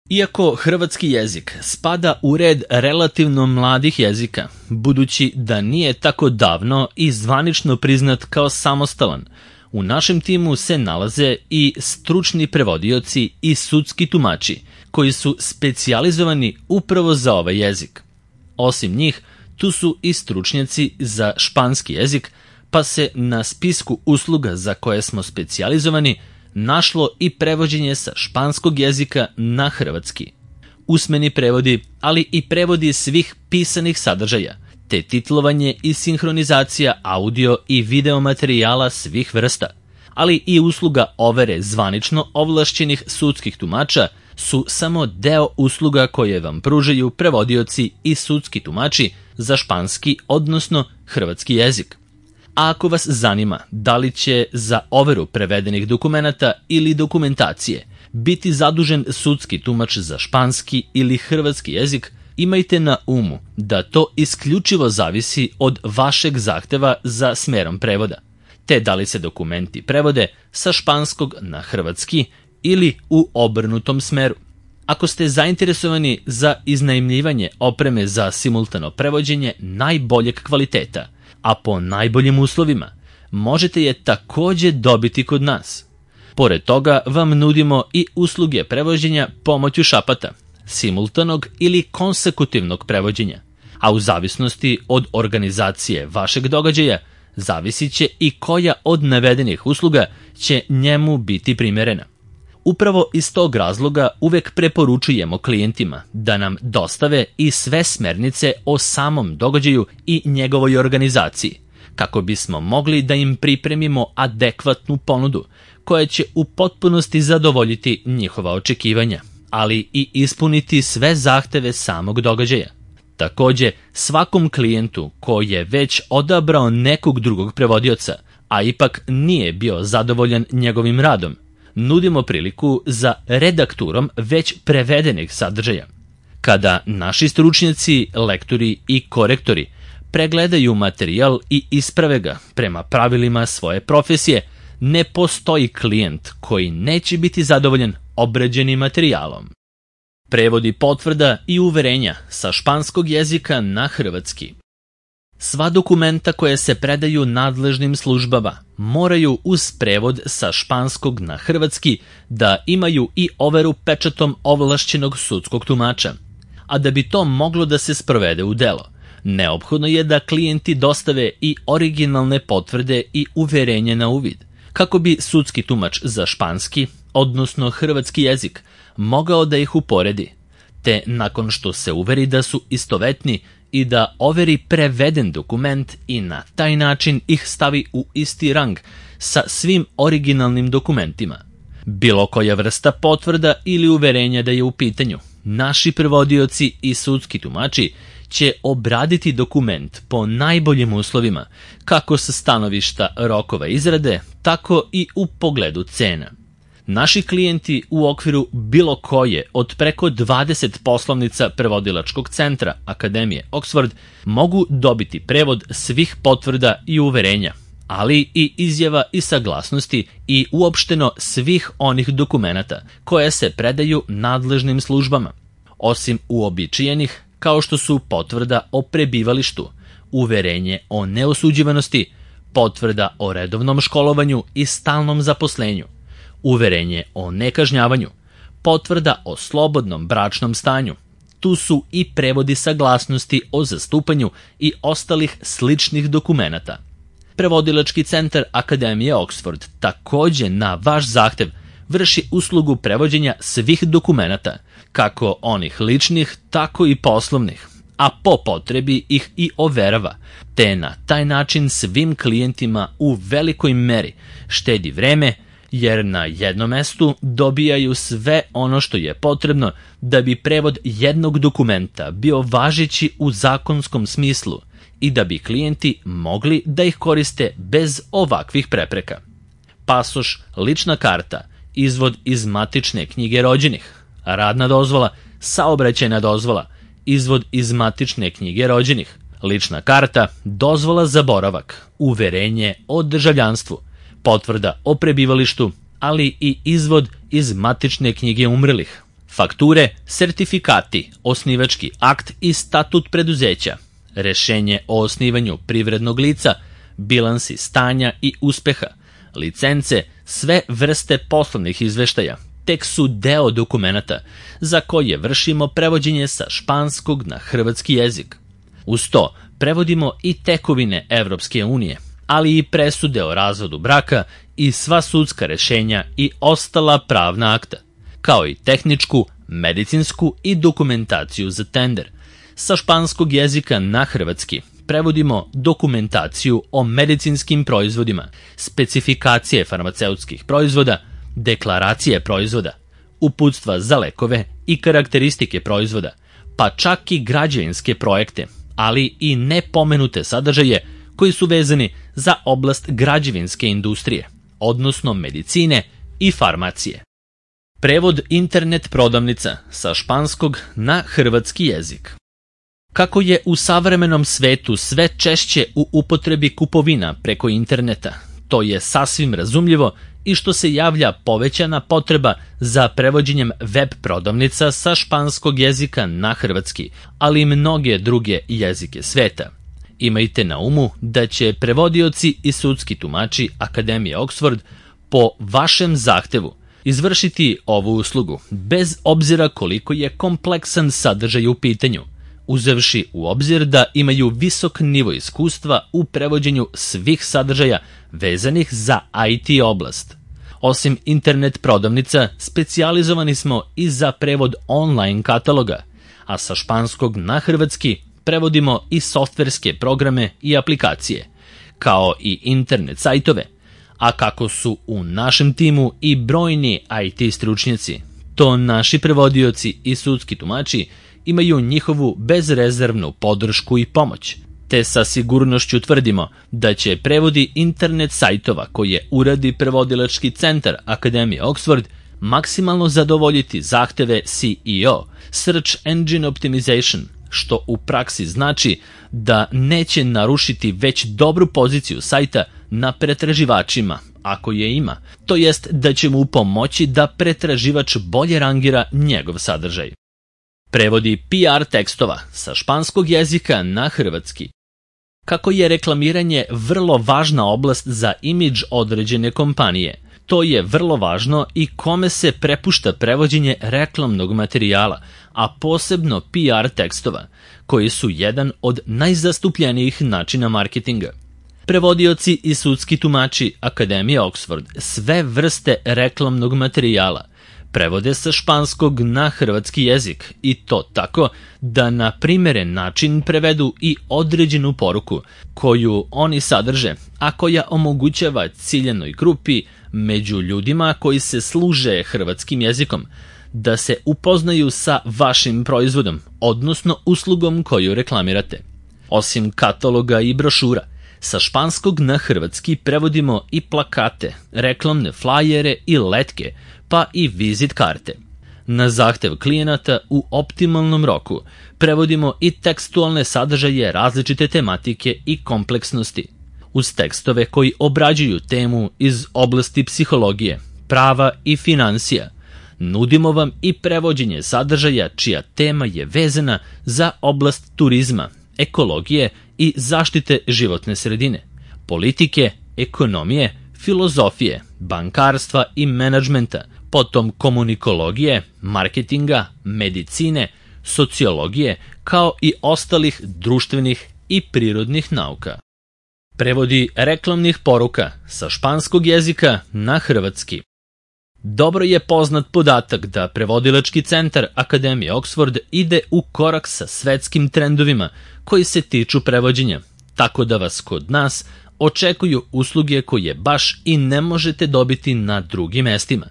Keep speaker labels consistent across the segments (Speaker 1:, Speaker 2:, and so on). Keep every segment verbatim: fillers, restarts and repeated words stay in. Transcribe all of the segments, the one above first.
Speaker 1: Iako hrvatski jezik spada u red relativno mladih jezika, budući da nije tako davno i zvanično priznat kao samostalan, u našem timu se nalaze i stručni prevodioci i sudski tumači koji su specijalizovani upravo za ovaj jezik. Osim njih, tu su i stručnjaci za španski jezik, pa se na spisku usluga za koje smo specijalizovani našlo i prevođenje sa španskog jezika na hrvatski. Usmeni prevodi, ali i prevodi svih pisanih sadržaja, te titlovanje i sinhronizacija audio i video materijala svih vrsta, ali i usluga overe zvanično ovlašćenih sudskih tumača su samo deo usluga koje vam pružaju prevodioci i sudski tumači za španski, odnosno hrvatski jezik. A ako vas zanima da li će za overu prevedenih dokumenata ili dokumentacije biti zadužen sudski tumač za španski ili hrvatski jezik, imajte na umu da to isključivo zavisi od vašeg zahteva za smerom prevoda, te da li se dokumenti prevode sa španskog na hrvatski ili u obrnutom smeru. Ako ste zainteresovani za iznajmljivanje opreme za simultano prevođenje najboljeg kvaliteta, a po najboljim uslovima, možete je takođe dobiti kod nas. Pored toga vam nudimo i usluge prevođenja pomoću šapata, simultanog ili konsekutivnog prevođenja, a u zavisnosti od organizacije vašeg događaja, zavisit će i koja od navedenih usluga će njemu biti primerena. Upravo iz tog razloga uvek preporučujemo klijentima da nam dostave i sve smernice o samom događaju i njegovoj organizaciji, kako bismo mogli da im pripremimo adekvatnu ponudu koja će u potpunosti zadovoljiti njihova očekivanja, ali i ispuniti sve zahteve samog događaja. Takođe, svakom klijentu koji je već odabrao nekog drugog prevodioca, a ipak nije bio zadovoljan njegovim radom, nudimo priliku za redakturom već prevedenih sadržaja. Kada naši stručnjaci, lektori i korektori pregledaju materijal i isprave ga prema pravilima svoje profesije, ne postoji klijent koji neće biti zadovoljan obrađenim materijalom. Prevodi potvrda i uverenja sa španskog jezika na hrvatski. Sva dokumenta koje se predaju nadležnim službama moraju uz prevod sa španskog na hrvatski da imaju i overu pečatom ovlašćenog sudskog tumača. A da bi to moglo da se sprovede u delo, neophodno je da klijenti dostave i originalne potvrde i uverenje na uvid, kako bi sudski tumač za španski, odnosno hrvatski jezik, mogao da ih uporedi, te nakon što se uveri da su istovetni i da overi preveden dokument i na taj način ih stavi u isti rang sa svim originalnim dokumentima. Bilo koja vrsta potvrda ili uverenja da je u pitanju, naši prevodioci i sudski tumači će obraditi dokument po najboljim uslovima, kako sa stanovišta rokova izrade, tako i u pogledu cena. Naši klijenti u okviru bilo koje od preko dvadeset poslovnica prevodilačkog centra Akademije Oxford mogu dobiti prevod svih potvrda i uverenja, ali i izjava i saglasnosti i uopšteno svih onih dokumenata koje se predaju nadležnim službama, osim uobičajenih kao što su potvrda o prebivalištu, uverenje o neosuđivanosti, potvrda o redovnom školovanju i stalnom zaposlenju, uverenje o nekažnjavanju, potvrda o slobodnom bračnom stanju. Tu su i prevodi saglasnosti o zastupanju i ostalih sličnih dokumenata. Prevodilački centar Akademije Oxford takođe na vaš zahtev vrši uslugu prevođenja svih dokumenata, kako onih ličnih, tako i poslovnih, a po potrebi ih i overava, te na taj način svim klijentima u velikoj meri štedi vreme, jer na jednom mestu dobijaju sve ono što je potrebno da bi prevod jednog dokumenta bio važeći u zakonskom smislu i da bi klijenti mogli da ih koriste bez ovakvih prepreka. Pasoš, lična karta, izvod iz matične knjige rođenih, radna dozvola, saobraćajna dozvola, izvod iz matične knjige rođenih, lična karta, dozvola za boravak, uverenje o državljanstvu, potvrda o prebivalištu, ali i izvod iz matične knjige umrlih, fakture, sertifikati, osnivački akt i statut preduzeća, rešenje o osnivanju privrednog lica, bilansi stanja i uspeha, licence, sve vrste poslovnih izveštaja, tek su deo dokumenata za koje vršimo prevođenje sa španskog na hrvatski jezik. Uz to prevodimo i tekovine Evropske unije, ali i presude o razvodu braka i sva sudska rešenja i ostala pravna akta, kao i tehničku, medicinsku i dokumentaciju za tender. Sa španskog jezika na hrvatski prevodimo dokumentaciju o medicinskim proizvodima, specifikacije farmaceutskih proizvoda, deklaracije proizvoda, uputstva za lekove i karakteristike proizvoda, pa čak i građevinske projekte, ali i nepomenute sadržaje koji su vezani za oblast građevinske industrije, odnosno medicine i farmacije. Prevod internet prodavnica sa španskog na hrvatski jezik. Kako je u savremenom svetu sve češće u upotrebi kupovina preko interneta, to je sasvim razumljivo i što se javlja povećana potreba za prevođenjem web prodavnica sa španskog jezika na hrvatski, ali i mnoge druge jezike sveta. Imajte na umu da će prevodioci i sudski tumači Akademije Oxford po vašem zahtevu izvršiti ovu uslugu, bez obzira koliko je kompleksan sadržaj u pitanju, uzevši u obzir da imaju visok nivo iskustva u prevođenju svih sadržaja vezanih za I T oblast. Osim internet prodavnica, specijalizovani smo i za prevod online kataloga, a sa španskog na hrvatski prevodimo i softverske programe i aplikacije, kao i internet sajtove, a kako su u našem timu i brojni I T stručnjaci, to naši prevodioci i sudski tumači imaju njihovu bezrezervnu podršku i pomoć, te sa sigurnošću tvrdimo da će prevodi internet sajtova koje uradi prevodilački centar Akademije Oxford maksimalno zadovoljiti zahteve C E O, Search Engine Optimization, što u praksi znači da neće narušiti već dobru poziciju sajta na pretraživačima, ako je ima, to jest da će mu pomoći da pretraživač bolje rangira njegov sadržaj. Prevodi P R tekstova sa španskog jezika na hrvatski. Kako je reklamiranje vrlo važna oblast za imidž određene kompanije, to je vrlo važno i kome se prepušta prevođenje reklamnog materijala, a posebno P R tekstova, koji su jedan od najzastupljenijih načina marketinga. Prevodioci i sudski tumači Akademije Oxford sve vrste reklamnog materijala prevode sa španskog na hrvatski jezik i to tako da na primeren način prevedu i određenu poruku koju oni sadrže, a koja omogućava ciljanoj grupi među ljudima koji se služe hrvatskim jezikom da se upoznaju sa vašim proizvodom, odnosno uslugom koju reklamirate. Osim kataloga i brošura, sa španskog na hrvatski prevodimo i plakate, reklamne flajere i letke, pa i vizit karte. Na zahtev klijenata u optimalnom roku prevodimo i tekstualne sadržaje različite tematike i kompleksnosti, uz tekstove koji obrađuju temu iz oblasti psihologije, prava i financija. Nudimo vam i prevođenje sadržaja čija tema je vezana za oblast turizma, ekologije i zaštite životne sredine, politike, ekonomije, filozofije, bankarstva i menadžmenta, potom komunikologije, marketinga, medicine, sociologije, kao i ostalih društvenih i prirodnih nauka. Prevodi reklamnih poruka sa španskog jezika na hrvatski. Dobro je poznat podatak da prevodilački centar Akademije Oxford ide u korak sa svetskim trendovima koji se tiču prevođenja, tako da vas kod nas očekuju usluge koje baš i ne možete dobiti na drugim mestima.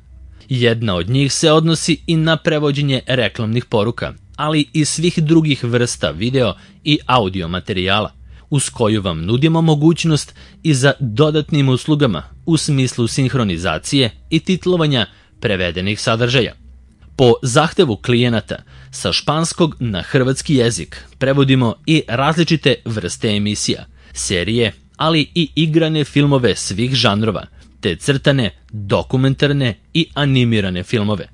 Speaker 1: Jedna od njih se odnosi i na prevođenje reklamnih poruka, ali i svih drugih vrsta video i audio materijala, uz koju vam nudimo mogućnost i za dodatnim uslugama u smislu sinhronizacije i titlovanja prevedenih sadržaja. Po zahtevu klijenata, sa španskog na hrvatski jezik prevodimo i različite vrste emisija, serije, ali i igrane filmove svih žanrova, te crtane, dokumentarne i animirane filmove.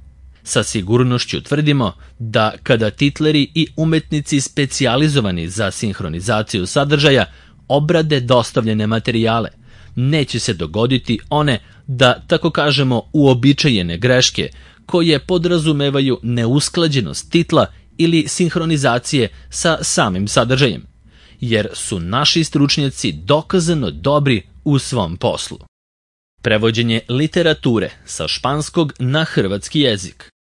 Speaker 1: Sa sigurnošću tvrdimo da kada titleri i umetnici specijalizovani za sinhronizaciju sadržaja obrade dostavljene materijale, neće se dogoditi one, da tako kažemo, uobičajene greške koje podrazumevaju neusklađenost titla ili sinhronizacije sa samim sadržajem, jer su naši stručnjaci dokazano dobri u svom poslu. Prevođenje literature sa španskog na hrvatski jezik.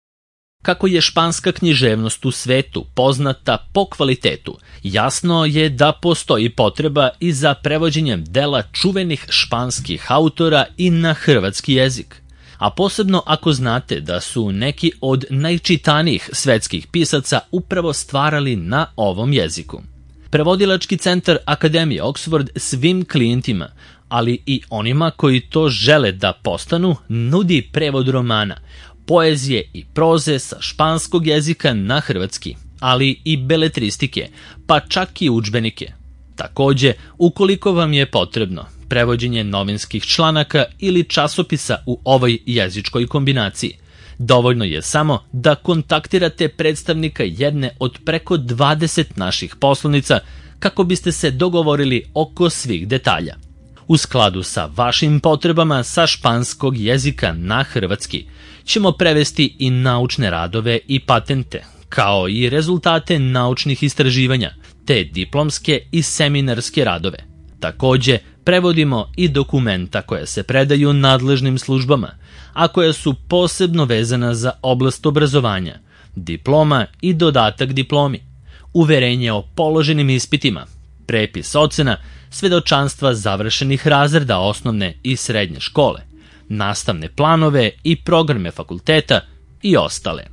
Speaker 1: Kako je španska književnost u svetu poznata po kvalitetu, jasno je da postoji potreba i za prevođenjem dela čuvenih španskih autora i na hrvatski jezik. A posebno ako znate da su neki od najčitanijih svetskih pisaca upravo stvarali na ovom jeziku. Prevodilački centar Akademije Oxford svim klijentima, ali i onima koji to žele da postanu, nudi prevod romana, poezije i proze sa španskog jezika na hrvatski, ali i beletristike, pa čak i udžbenike. Takođe, ukoliko vam je potrebno prevođenje novinskih članaka ili časopisa u ovoj jezičkoj kombinaciji, dovoljno je samo da kontaktirate predstavnika jedne od preko dvadeset naših poslovnica kako biste se dogovorili oko svih detalja. U skladu sa vašim potrebama sa španskog jezika na hrvatski ćemo prevesti i naučne radove i patente, kao i rezultate naučnih istraživanja, te diplomske i seminarske radove. Takođe, prevodimo i dokumenta koja se predaju nadležnim službama, a koja su posebno vezana za oblast obrazovanja, diploma i dodatak diplomi, uverenje o položenim ispitima, prepis ocena, svedočanstva završenih razreda osnovne i srednje škole, nastavne planove i programe fakulteta i ostale.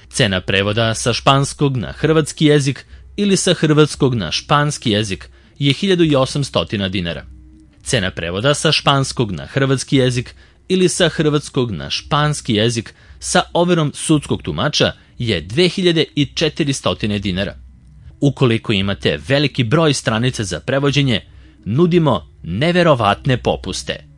Speaker 1: Cena prevoda sa španskog na hrvatski jezik ili sa hrvatskog na španski jezik je hiljadu osamsto dinara. Cena prevoda sa španskog na hrvatski jezik ili sa hrvatskog na španski jezik sa overom sudskog tumača je dve hiljade četiristo dinara. Ukoliko imate veliki broj stranica za prevođenje, nudimo neverovatne popuste.